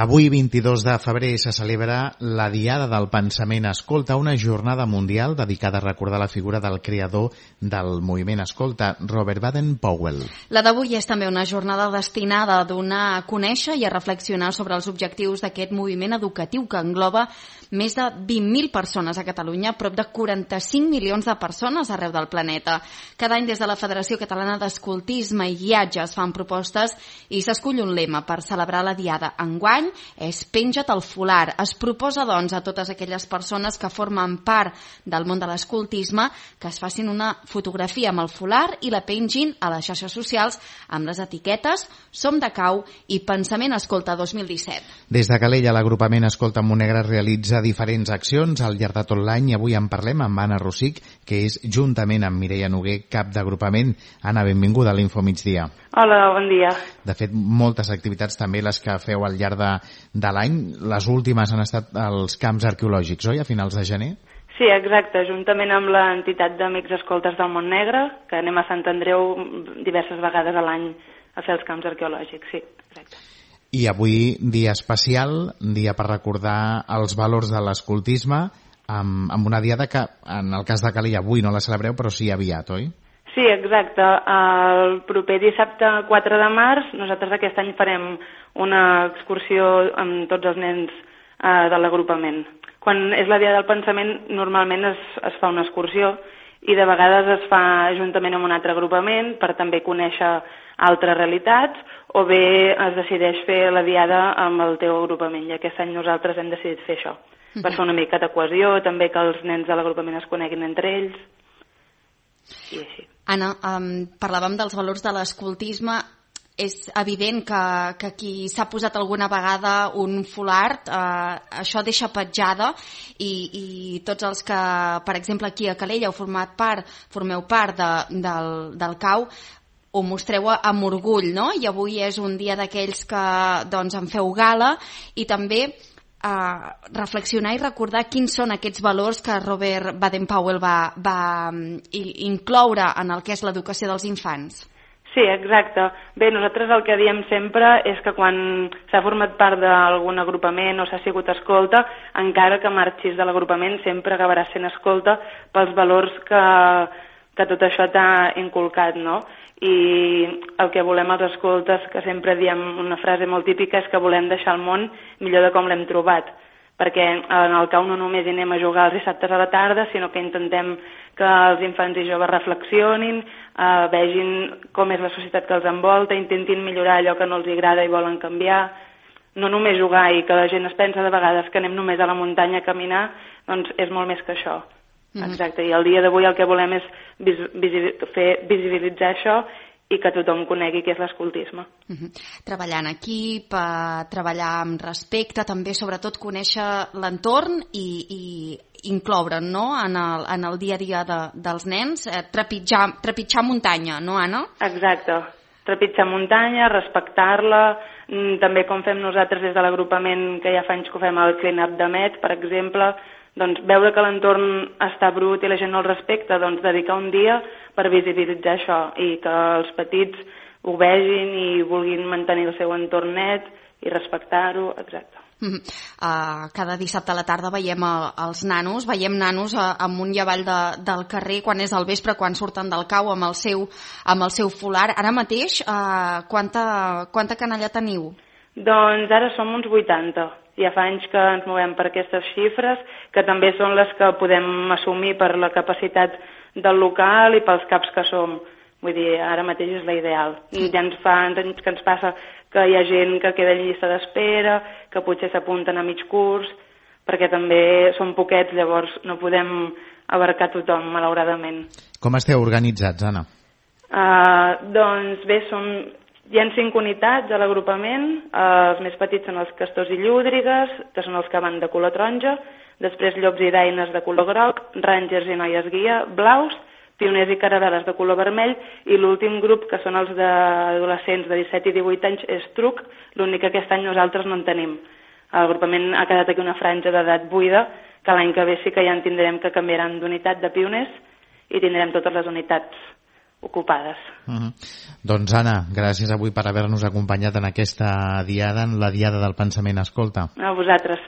Avui, 22 de febrer, se celebra la Diada del Pensament Escolta, una jornada mundial dedicada a recordar la figura del creador del moviment Escolta, Robert Baden-Powell. La d'avui és també una jornada destinada a donar a conèixer i a reflexionar sobre els objectius d'aquest moviment educatiu que engloba més de 20.000 persones a Catalunya, prop de 45 milions de persones arreu del planeta. Cada any des de la Federació Catalana d'Escoltisme i Guiatge es fan propostes i s'escull un lema per celebrar la Diada. Enguany és Penja't el folar. Es proposa, doncs, a totes aquelles persones que formen part del món de l'escoltisme que es facin una fotografia amb el folar i la pengin a les xarxes socials amb les etiquetes Som de Cau i Pensament Escolta 2017. Des de Calella, l'agrupament Escolta Montnegre realitza diferents accions al llarg de tot l'any i avui en parlem amb Anna Rosic, que és, juntament amb Mireia Noguer, cap d'agrupament. Anna, benvinguda a l'Info Migdia. Hola, bon dia. De fet, moltes activitats també les que feu al llarg de l'any. Les últimes han estat els camps arqueològics, oi?, a finals de gener? Sí, exacte, juntament amb l'entitat d'Amics Escoltes del Montnegre, que anem a Sant Andreu diverses vegades a l'any a fer els camps arqueològics, sí, exacte. I avui, dia especial, dia per recordar els valors de l'escoltisme, amb una diada que, en el cas de Calella, avui no la celebreu, però sí aviat, oi? Sí, exacte. El proper dissabte 4 de març nosaltres aquest any farem una excursió amb tots els nens de l'agrupament. Quan és la Dia del Pensament normalment es fa una excursió i de vegades es fa juntament amb un altre agrupament per també conèixer altres realitats o bé es decideix fer la Diada amb el teu agrupament i aquest any nosaltres hem decidit fer això per fer una mica de cohesió, també que els nens de l'agrupament es coneguin entre ells i així. Anna, parlàvem dels valors de l'escoltisme. És evident que qui s'ha posat alguna vegada un foulard, això deixa petjada i tots els que, per exemple, aquí a Calella formeu part del CAU, ho mostreu amb orgull, no? I avui és un dia d'aquells que doncs, en feu gala i també reflexionar i recordar quins són aquests valors que Robert Baden-Powell va incloure en el que és l'educació dels infants. Sí, exacte. Bé, nosaltres el que diem sempre és que quan s'ha format part d'algun agrupament o s'ha sigut escolta, encara que marxis de l'agrupament sempre acabaràs sent escolta pels valors que tot això t'ha inculcat, no? I el que volem els escoltes, que sempre diem una frase molt típica, és que volem deixar el món millor de com l'hem trobat, perquè en el CAU no només hi anem a jugar els dissabtes a la tarda, sinó que intentem que els infants i joves reflexionin, vegin com és la societat que els envolta, intentin millorar allò que no els agrada i volen canviar, no només jugar i que la gent es pensa de vegades que anem només a la muntanya a caminar, doncs és molt més que això. Exacte, i el dia d'avui el que volem és visibilitzar això i que tothom conegui què és l'escoltisme. Treballar en equip, treballar amb respecte, també sobretot conèixer l'entorn i incloure'n, no?, en el dia a dia dels nens, trepitjar muntanya, no, Anna? Exacte, trepitjar muntanya, respectar-la, també com fem nosaltres des de l'agrupament, que ja fa anys que ho fem al clean-up de Met, per exemple, doncs veure que l'entorn està brut i la gent no el respecta, doncs dedicar un dia per visibilitzar això i que els petits ho vegin i vulguin mantenir el seu entorn net i respectar-ho, exacte. Cada dissabte a la tarda veiem nanos amunt i avall del carrer quan és al vespre, quan surten del CAU amb el seu folar. Ara mateix, quanta canalla teniu? Doncs ara som uns 80. Ja fa anys que ens movem per aquestes xifres, que també són les que podem assumir per la capacitat del local i pels caps que som. Vull dir, ara mateix és la ideal. Ja ens fa anys que ens passa que hi ha gent que queda en llista d'espera, que potser s'apunten a mig curs, perquè també som poquets, llavors no podem abarcar tothom, malauradament. Com esteu organitzats, Anna? Doncs bé, hi ha 5 unitats a l'agrupament, els més petits són els castors i llúdrigues, que són els que van de color taronja, després llops i daines de color groc, rangers i noies guia, blaus, pioners i caravel·les de color vermell, i l'últim grup, que són els d'adolescents de 17 i 18 anys, és truc, l'únic que aquest any nosaltres no en tenim. L'agrupament ha quedat aquí una franja d'edat buida, que l'any que ve sí que ja en tindrem que canviaran d'unitat de pioners i tindrem totes les unitats ocupades. Doncs Anna, gràcies avui per haver-nos acompanyat en aquesta diada, en la Diada del Pensament Escolta. A vosaltres.